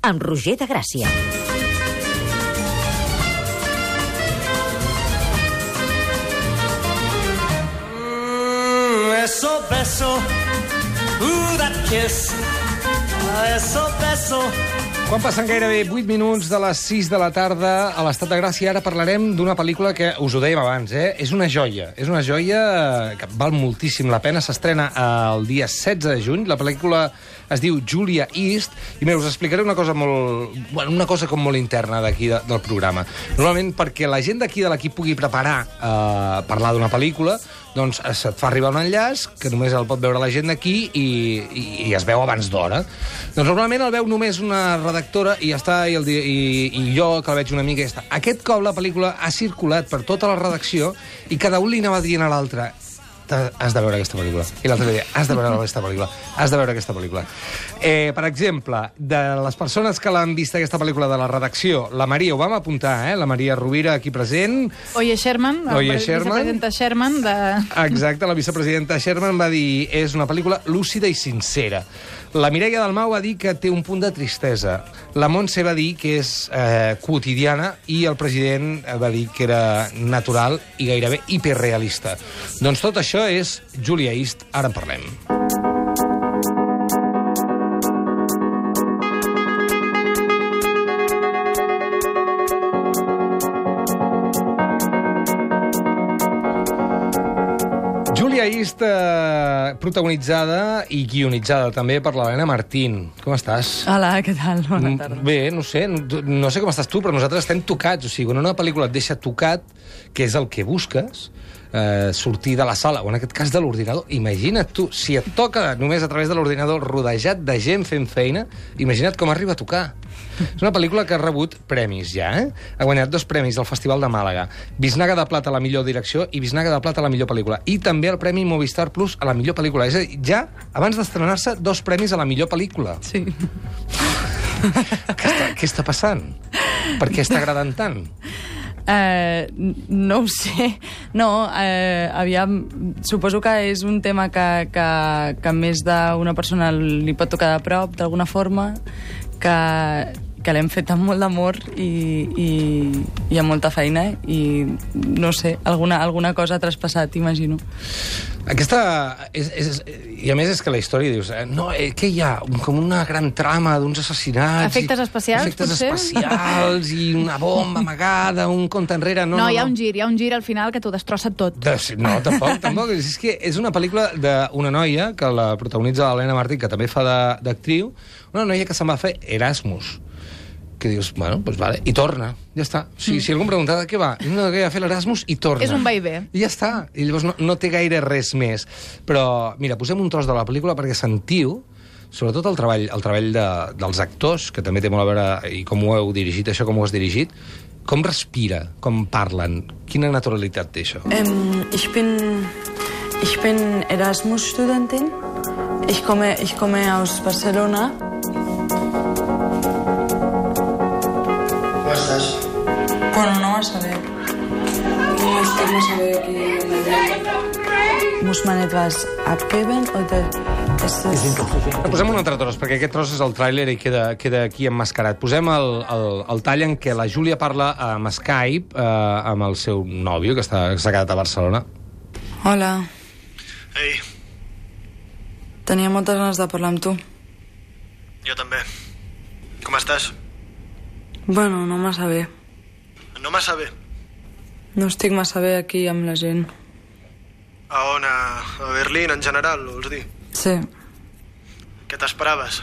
amb Roger de Gràcia. Beso, beso, that kiss. Beso, beso. Quan passen gairebé 8 minuts de les 6 de la tarda a l'Estat de Gràcia, ara parlarem d'una pel·lícula que us ho dèiem abans, és una joia. És una joia que val moltíssim la pena. S'estrena el dia 16 de juny. La pel·lícula es diu Julia East. I mira, us explicaré una cosa com molt interna d'aquí del programa. Normalment, perquè la gent d'aquí de l'equip pugui preparar parlar d'una pel·lícula, doncs se't fa arribar un enllaç que només el pot veure la gent d'aquí i es veu abans d'hora. Doncs normalment el veu només una redactora i ja està, i jo, que la veig una mica, i ja està. Aquest cop la pel·lícula ha circulat per tota la redacció i cada un li anava dient a l'altre: has de veure aquesta pel·lícula. I l'altre li deia: has de veure aquesta pel·lícula. Has de veure aquesta pel·lícula. Per exemple, de les persones que l'han vist aquesta pel·lícula de la redacció, la Maria, ho vam apuntar, la Maria Rovira, aquí present. Oye Sherman, vicepresidenta Sherman. Exacte, la vicepresidenta Sherman va dir: és una pel·lícula lúcida i sincera. La Mireia Dalmau va dir que té un punt de tristesa. La Montse va dir que és quotidiana i el president va dir que era natural i gairebé hiperrealista. Doncs tot això és Julia East, ara en parlem. Julia East, protagonitzada i guionitzada també per l'Helena Martín. Com estàs? Hola, què tal? Bona tarda. Bé, no sé com estàs tu, però nosaltres estem tocats. O sigui, quan una pel·lícula et deixa tocat, que és el que busques, sortir de la sala, o en aquest cas de l'ordinador, imagina't tu, si et toca només a través de l'ordinador rodejat de gent fent feina, imagina't com arriba a tocar. És una pel·lícula que ha rebut premis ja, Ha guanyat 2 premis al Festival de Màlaga. Bisnaga de Plata a la millor direcció i Bisnaga de Plata a la millor pel·lícula. I també el Premi Movistar Plus a la millor pel·lícula. És a dir, ja, abans d'estrenar-se, 2 premis a la millor pel·lícula. Sí. Què està passant? Per què està agradant tant? No ho sé. No, aviam, suposo que és un tema que més d'una persona li pot tocar de prop, d'alguna forma, que l'hem fet amb molt d'amor i amb molta feina, i no sé, alguna cosa ha traspassat, imagino. Aquesta... I a més és que la història dius... No, què hi ha? Com una gran trama d'uns assassinats... Efectes especials, efectes potser? especials i una bomba amagada, un compte enrere... No, hi ha un gir al final que t'ho destrossa tot. No, tampoc. És que és una pel·lícula d'una noia que la protagonitza l'Helena Martín, que també fa d'actriu, una noia que se'n va fer Erasmus, que dius, bueno, doncs vale, i torna, ja està. Si algú em pregunta de què va, no, que va fer l'Erasmus i torna. És un va i ve. I ja està, i llavors no té gaire res més. Però, mira, posem un tros de la pel·lícula perquè sentiu, sobretot el treball dels actors, que també té molt a veure, i com ho heu dirigit, això com ho has dirigit, com respira, com parlen, quina naturalitat té això. Ich bin Erasmus-Studentin. Ich komme aus Barcelona. ¿Cómo estás? Bueno, no vas a ver. No estic massa bé aquí. Muss man etwas abgeben oder ist das... Posem un altre tros, perquè aquest tros és el tràiler i queda aquí emmascarat. Posem el tall en què la Júlia parla amb Skype amb el seu nòvio, que s'ha quedat a Barcelona. Hola. Ei, Tenia moltes ganes de parlar amb tu. jo també. Com estàs? Bueno, no massa bé. No massa bé. No estic massa bé aquí amb la gent. A on? A Berlín, en general, vols dir? Sí. Què t'esperaves?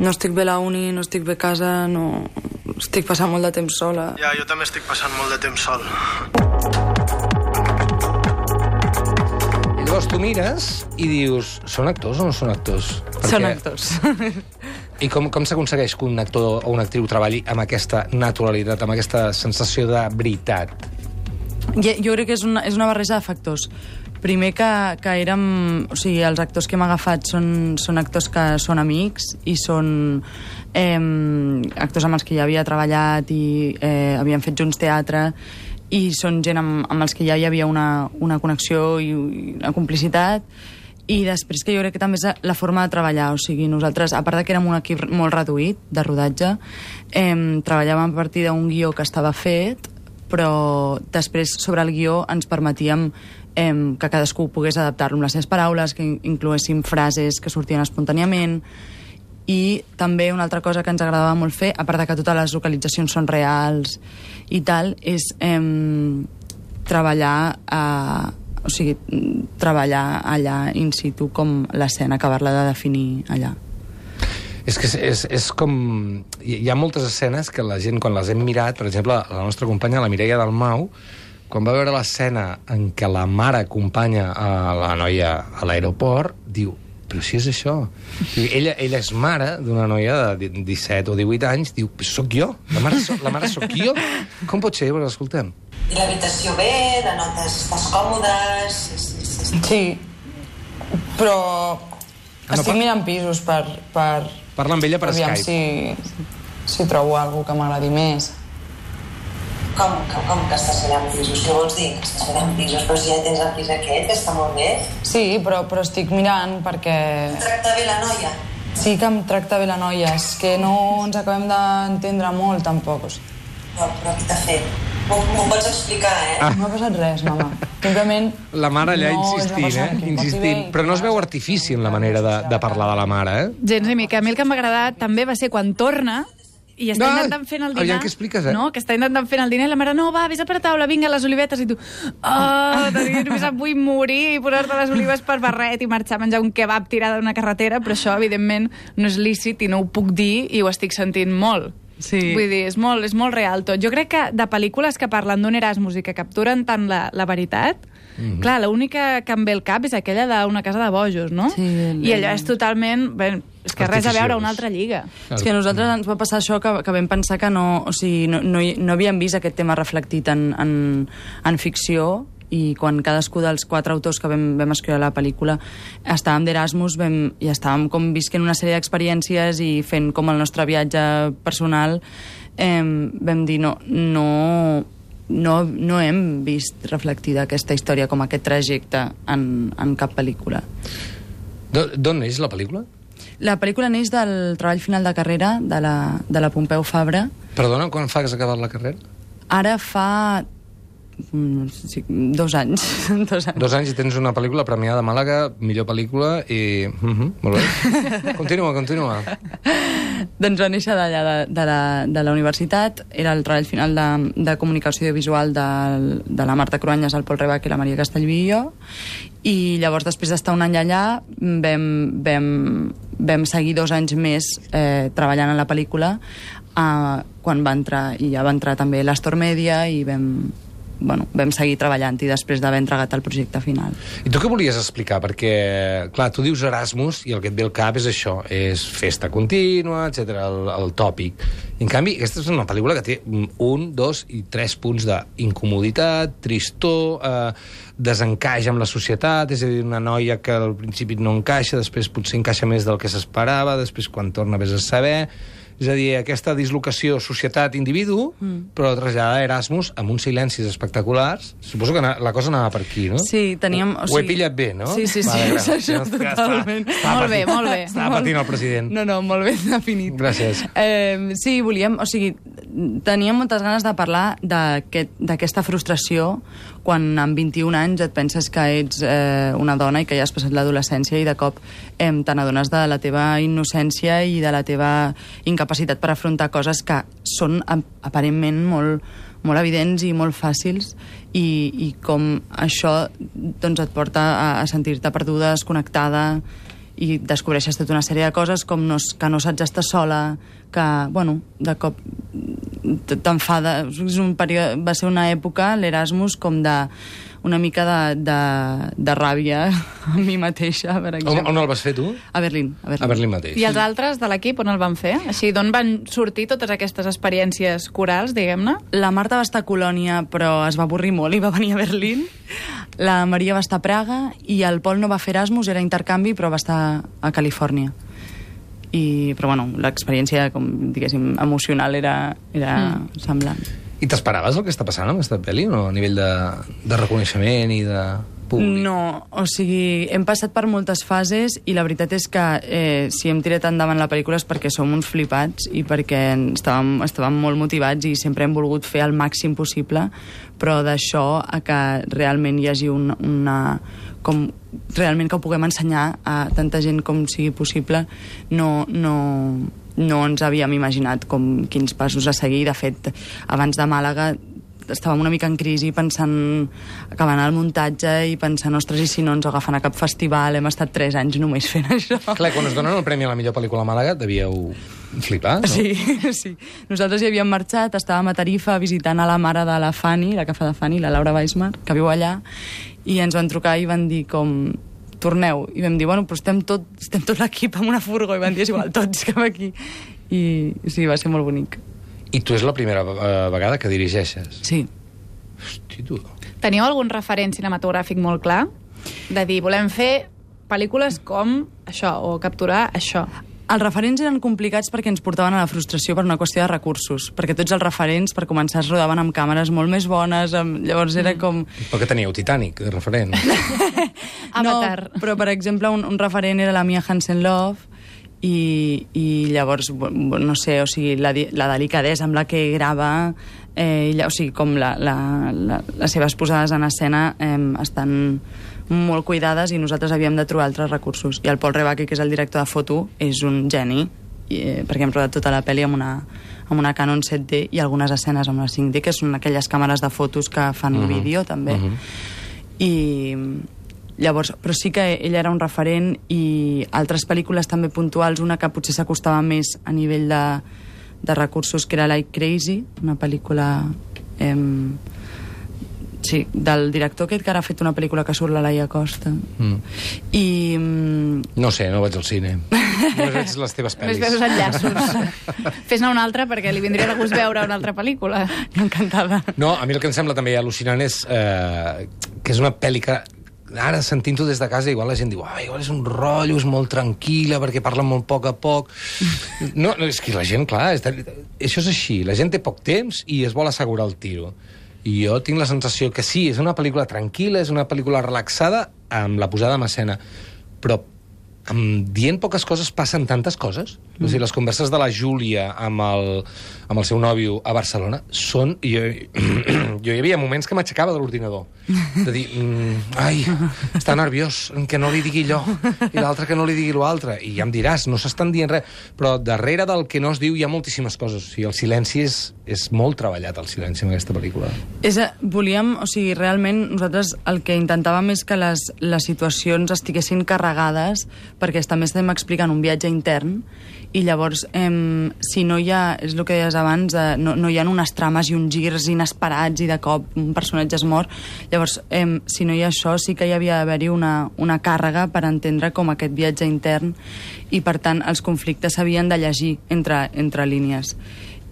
No estic bé a la uni, no estic bé a casa, no... Estic passant molt de temps sola. Ja, jo també estic passant molt de temps sol. I llavors tu mires i dius, són actors o no són actors? Són actors. I com s'aconsegueix que un actor o una actriu treballi amb aquesta naturalitat, amb aquesta sensació de veritat? Jo crec que és una barreja de factors. Primer que érem... O sigui, els actors que hem agafat són actors que són amics i són actors amb els que ja havia treballat i havien fet junts teatre, i són gent amb els que ja hi havia una connexió i una complicitat, I després que jo crec que també és la forma de treballar, o sigui, nosaltres, a part de que érem un equip molt reduït de rodatge, treballàvem a partir d'un guió que estava fet, però després sobre el guió ens permetíem que cadascú pogués adaptar-lo amb les seves paraules, que incloguéssim frases que sortien espontàniament, i també una altra cosa que ens agradava molt fer, a part de que totes les localitzacions són reals i tal, és treballar allà in situ com l'escena, acabar-la de definir allà. És que és com... Hi ha moltes escenes que la gent, quan les hem mirat, per exemple, la nostra companya, la Mireia Dalmau, quan va veure l'escena en què la mare acompanya a la noia a l'aeroport, diu, però si és això. Ella és mare d'una noia de 17 o 18 anys, diu, però sóc jo, la mare sóc jo. Com pot ser? Bueno, escoltem. I l'habitació bé, la notes, estàs còmodes... Sí, però estic mirant pisos per... Parla amb ella per aviam Skype. si trobo alguna que m'agradi més. Com que estàs mirant pisos? Què vols dir? Que estàs mirant pisos? Però si ja tens el pis aquest, que està molt bé. Sí, però estic mirant perquè... Tracta bé la noia? Sí que em tracta bé la noia, és que no ens acabem d'entendre molt, tampoc. Però qui t'ha fet? M'ho pots explicar, No ha passat res, mama. Simplement... La mare allà no insistint. Però no es veu artifici en la manera de parlar de la mare, Gens ni mica. A mi el que m'ha agradat també va ser quan torna i està intentant fer el dinar. Aviam, què expliques, No, que està intentant fer el dinar i la mare, no, va, vés a per taula, vinga, les olivetes, i tu, només em vull morir i posar-te les olives per barret i marxar a menjar un kebab tirada d'una carretera, però això, evidentment, no és lícit i no ho puc dir i ho estic sentint molt. Sí. Vull dir, és molt real tot. Jo crec que de pel·lícules que parlen d'un Erasmus i que capturen tant la veritat, clar, l'única que em ve al cap és aquella d'Una casa de bojos, no? Sí, I allò és totalment... És que res a veure, una altra lliga. És que a nosaltres ens va passar això que vam pensar que no havíem vist aquest tema reflectit en ficció, i quan cadascú dels 4 autors que vam escriure la pel·lícula estàvem d'Erasmus i estàvem com visquent una sèrie d'experiències i fent com el nostre viatge personal, vam dir no hem vist reflectida aquesta història com aquest trajecte en cap pel·lícula. D'on neix la pel·lícula? La pel·lícula neix del treball final de carrera de la Pompeu Fabra. Perdona, quan fa que has acabat la carrera? Ara fa 2 anys. 2 anys i tens una pel·lícula premiada a Màlaga, millor pel·lícula, i... molt bé. Continua. Doncs va néixer d'allà, de la universitat. Era el treball final de comunicació audiovisual de la Marta Cruanyes, el Pol Rebach i la Maria Castellví i jo. I llavors, després d'estar un any allà, vam seguir 2 anys més treballant en la pel·lícula, quan va entrar, i ja va entrar també l'Astor Media, i vam seguir treballant i després d'haver entregat el projecte final. I tu què volies explicar? Perquè, clar, tu dius Erasmus i el que et ve al cap és això, és festa contínua, etc, el tòpic. I, en canvi, aquesta és una pel·lícula que té 1, 2 i 3 punts d'incomoditat, tristor, desencaix amb la societat, és a dir, una noia que al principi no encaixa, després potser encaixa més del que s'esperava, després quan torna vés a saber... És a dir, aquesta dislocació societat-individu, però traslladada a Erasmus amb uns silencis espectaculars. Suposo que la cosa anava per aquí, no? Sí, teníem... Ho he pillat bé, no? Sí, vale, és això, totalment. Molt bé. Estava patint el president. No, molt ben definit. Gràcies. Sí, teníem moltes ganes de parlar d'aquesta frustració quan amb 21 anys et penses que ets una dona i que ja has passat l'adolescència i de cop te n'adones de la teva innocència i de la teva incapacitat per afrontar coses que són aparentment molt evidents i molt fàcils i com això doncs, et porta a sentir-te perduda, desconnectada i descobreixes tota una sèrie de coses com que no saps estar sola, que, de cop t'enfada. Va ser una època, l'Erasmus, com una mica de ràbia a mi mateixa, per exemple. On el vas fer, tu? A Berlín. A Berlín mateix. I els altres de l'equip on el van fer? Així, d'on van sortir totes aquestes experiències corals, diguem-ne? La Marta va estar a Colònia, però es va avorrir molt i va venir a Berlín. La Maria va estar a Praga i el Pol no va fer Erasmus, era intercanvi, però va estar a Califòrnia. Però l'experiència, com diguéssim, emocional era semblant. I t'esperaves el que està passant amb aquesta pel·li, no? A nivell de reconeixement i de públic? No, o sigui, hem passat per moltes fases i la veritat és que si hem tirat endavant la pel·lícula és perquè som uns flipats i perquè estàvem molt motivats i sempre hem volgut fer el màxim possible, però d'això a que realment hi hagi realment que ho puguem ensenyar a tanta gent com sigui possible, no ens havíem imaginat quins passos a seguir. De fet, abans de Màlaga estàvem una mica en crisi pensant acabant el muntatge i pensant, ostres, i si no ens agafen a cap festival? Hem estat 3 anys només fent això. Clar, quan us donen el premi a la millor pel·lícula a Màlaga devíeu flipar, no? Sí, sí. Nosaltres hi havíem marxat, estàvem a Tarifa visitant a la mare de la Fanny, la que fa de Fanny, la Laura Weismar, que viu allà, i ens van trucar i van dir com torneu, i vam dir, bueno, però estem tot l'equip amb una furgo, i van dir, és igual, tots cap aquí. I sí, va ser molt bonic. I tu és la primera vegada que dirigeixes? Sí. Hosti, tu. Teniu algun referent cinematogràfic molt clar? De dir, volem fer pel·lícules com això, o capturar això. Els referents eren complicats perquè ens portaven a la frustració per una qüestió de recursos, perquè tots els referents, per començar, es rodaven amb càmeres molt més bones, llavors era com... Però que teníeu Titanic, de referent. Avatar. No, però, per exemple, un referent era la Mia Hansen-Løve, i llavors, no sé, o sigui, la delicadesa amb la que grava, o sigui, com les seves posades en escena estan molt cuidades i nosaltres havíem de trobar altres recursos. I el Paul Rebaki, que és el director de foto, és un geni, perquè hem rodat tota la pel·li amb una Canon 7D i algunes escenes amb la 5D, que són aquelles càmeres de fotos que fan vídeo, també. I llavors, però sí que ell era un referent i altres pel·lícules també puntuals, una que potser s'acostava més a nivell de recursos, que era Like Crazy, una pel·lícula sí, del director aquest que ara ha fet una pel·lícula que surt la Laia Costa. I... No sé, no vaig al cine. Només veig les teves pel·lis. Només veus enllaços. Fes-ne una altra perquè li vindria de gust veure una altra pel·lícula. Encantada. No, a mi el que em sembla també al·lucinant és que és una pel·li que ara, sentint-ho des de casa, igual la gent diu igual és un rotllo, és molt tranquil·la perquè parla molt poc a poc. No, és que la gent, clar, això és així, la gent té poc temps i es vol assegurar el tiro. I jo tinc la sensació que sí, és una pel·lícula tranquil·la, és una pel·lícula relaxada amb la posada en escena, però dient poques coses passen tantes coses. O sigui, les converses de la Júlia amb el seu nòvio a Barcelona són... Jo hi havia moments que m'aixecava de l'ordinador. De dir, ai, està nerviós, que no li digui allò, i l'altre que no li digui l'altre. I ja em diràs, no s'estan dient res. Però darrere del que no es diu hi ha moltíssimes coses. O sigui, el silenci és molt treballat, el silenci, en aquesta pel·lícula. Volíem, o sigui, realment nosaltres el que intentàvem és que les situacions estiguessin carregades, perquè també estem explicant un viatge intern, i llavors, si no hi ha, és el que deies abans, no hi ha unes trames i uns girs inesperats i de cop un personatge es mor, llavors, si no hi ha això, sí que hi havia d'haver-hi una càrrega per entendre com aquest viatge intern, i per tant els conflictes s'havien de llegir entre línies.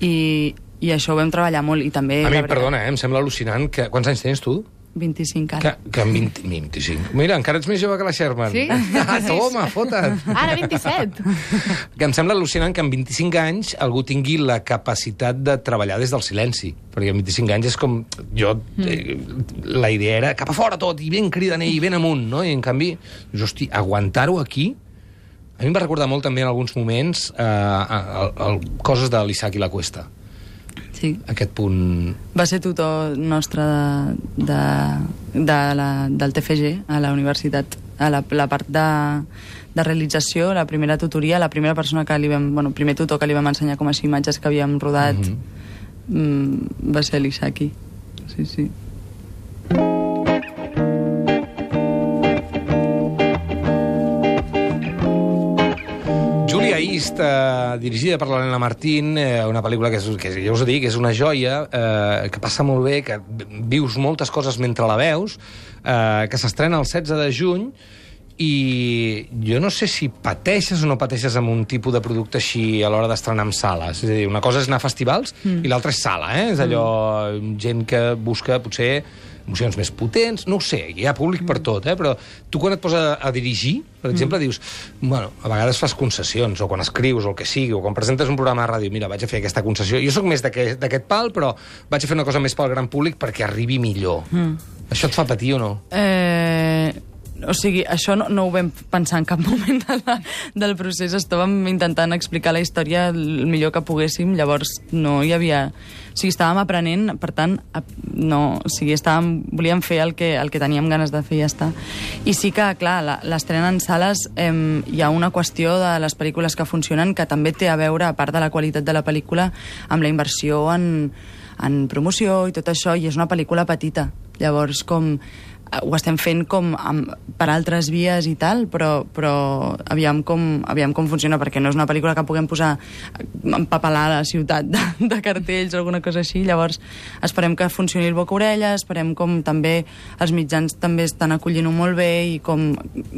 I això ho vam treballar molt, i també... A mi, perdona, em sembla al·lucinant que... Quants anys tens tu? 25 ara. Que amb 25. Mira, encara ets més jove que la Sherman. Sí? Toma, fota't. Ara 27. Que em sembla al·lucinant que amb 25 anys algú tingui la capacitat de treballar des del silenci. Perquè amb 25 anys és com... La idea era cap a fora tot, i ben cridaner, i ben amunt, no? I en canvi, hosti, aguantar-ho aquí... A mi em va recordar molt també en alguns moments coses de l'Isaac i la Cuesta. Sí. Aquest punt... Va ser tutor nostre del TFG a la universitat, a la part de realització, la primera tutoria, la primera persona que li vam... primer tutor que li vam ensenyar com a imatges que havíem rodat va ser l'Isaki. Sí, sí. Julia East, dirigida per l'Helena Martín, una pel·lícula que ja us dic, és una joia, que passa molt bé, que vius moltes coses mentre la veus, que s'estrena el 16 de juny, i jo no sé si pateixes o no pateixes amb un tipus de producte així a l'hora d'estrenar en sales. És a dir, una cosa és anar a festivals i l'altra és sala, És allò, gent que busca, potser, emocions més potents, no ho sé, hi ha públic per tot, però tu quan et poses a dirigir, per exemple, dius, bueno, a vegades fas concessions, o quan escrius, o el que sigui, o quan presentes un programa de ràdio, mira, vaig a fer aquesta concessió. Jo sóc més d'aquest pal, però vaig a fer una cosa més pel gran públic perquè arribi millor. Això et fa patir o no? O sigui, això no ho vam pensar en cap moment del procés. Estàvem intentant explicar la història el millor que poguéssim, llavors no hi havia... O sigui, estàvem aprenent, per tant, no... O sigui, volíem fer el que teníem ganes de fer i ja està. I sí que, clar, l'estrena en sales, hi ha una qüestió de les pel·lícules que funcionen que també té a veure, a part de la qualitat de la pel·lícula, amb la inversió en promoció i tot això, i és una pel·lícula petita. Llavors, ho estem fent per altres vies i tal, però aviam com funciona, perquè no és una pel·lícula que puguem posar empapelar la ciutat de cartells o alguna cosa així. Llavors esperem que funcioni el boca-orella, esperem com també els mitjans també estan acollint-ho molt bé i com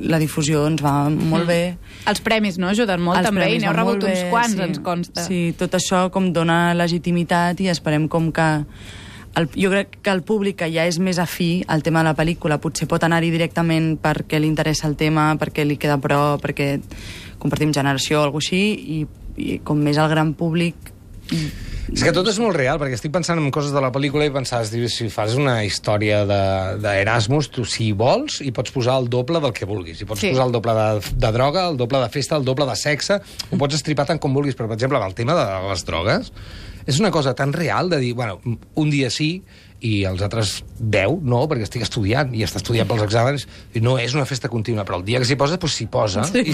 la difusió ens va molt bé. Els premis, no?, ajuden molt també, i n'heu rebut uns quants, ens consta. Sí, tot això com dona legitimitat i esperem com que jo crec que el públic que ja és més afí al tema de la pel·lícula potser pot anar-hi directament perquè li interessa el tema, perquè li queda a prop, perquè compartim generació o alguna cosa així, i com més el gran públic... És que tot és molt real, perquè estic pensant en coses de la pel·lícula i pensaves, si fas una història d'Erasmus, tu si vols hi pots posar el doble del que vulguis. Hi pots posar el doble de droga, el doble de festa, el doble de sexe, ho pots estripar tant com vulguis, però per exemple, amb el tema de les drogues, és una cosa tan real de dir, bueno, un dia sí i els altres 10 no, perquè estic estudiant i està estudiant pels exàmens, i no és una festa contínua, però el dia que s'hi posa, doncs s'hi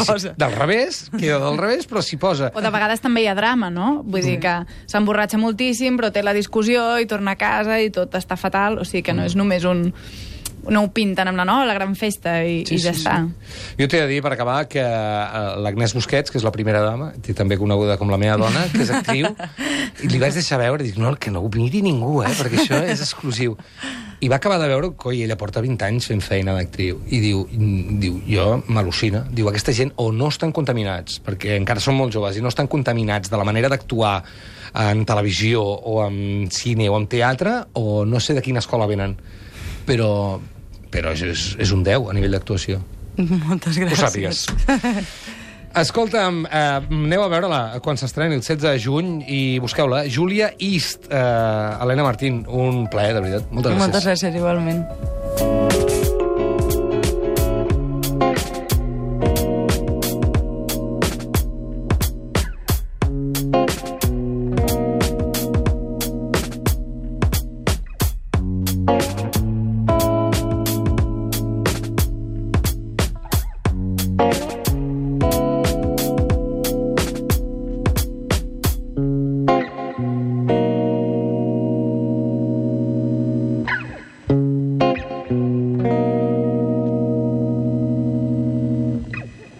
posa. Del revés, queda del revés, però s'hi posa. O de vegades també hi ha drama, no? Vull dir que s'emborratxa moltíssim, però té la discussió i torna a casa i tot està fatal, o sigui que no és només no ho pinten amb la gran festa i ja està. Jo t'he de dir, per acabar, que l'Agnès Busquets, que és la primera dama, també coneguda com la meva dona, que és actriu, i li vaig deixar veure, i dic, no, que no ho miri ningú, perquè això és exclusiu. I va acabar de veure, coi, ella porta 20 anys fent feina d'actriu, i diu, jo m'al·lucina, diu, aquesta gent o no estan contaminats, perquè encara són molt joves, i no estan contaminats de la manera d'actuar en televisió, o en cine, o en teatre, o no sé de quina escola venen, però és un 10 a nivell d'actuació. Moltes gràcies. Ho sàpigues. Escolta'm, aneu a veure-la quan s'estreni el 16 de juny i busqueu-la. Julia East, Helena Martín, un plaer, de veritat. Moltes gràcies. Moltes gràcies, igualment.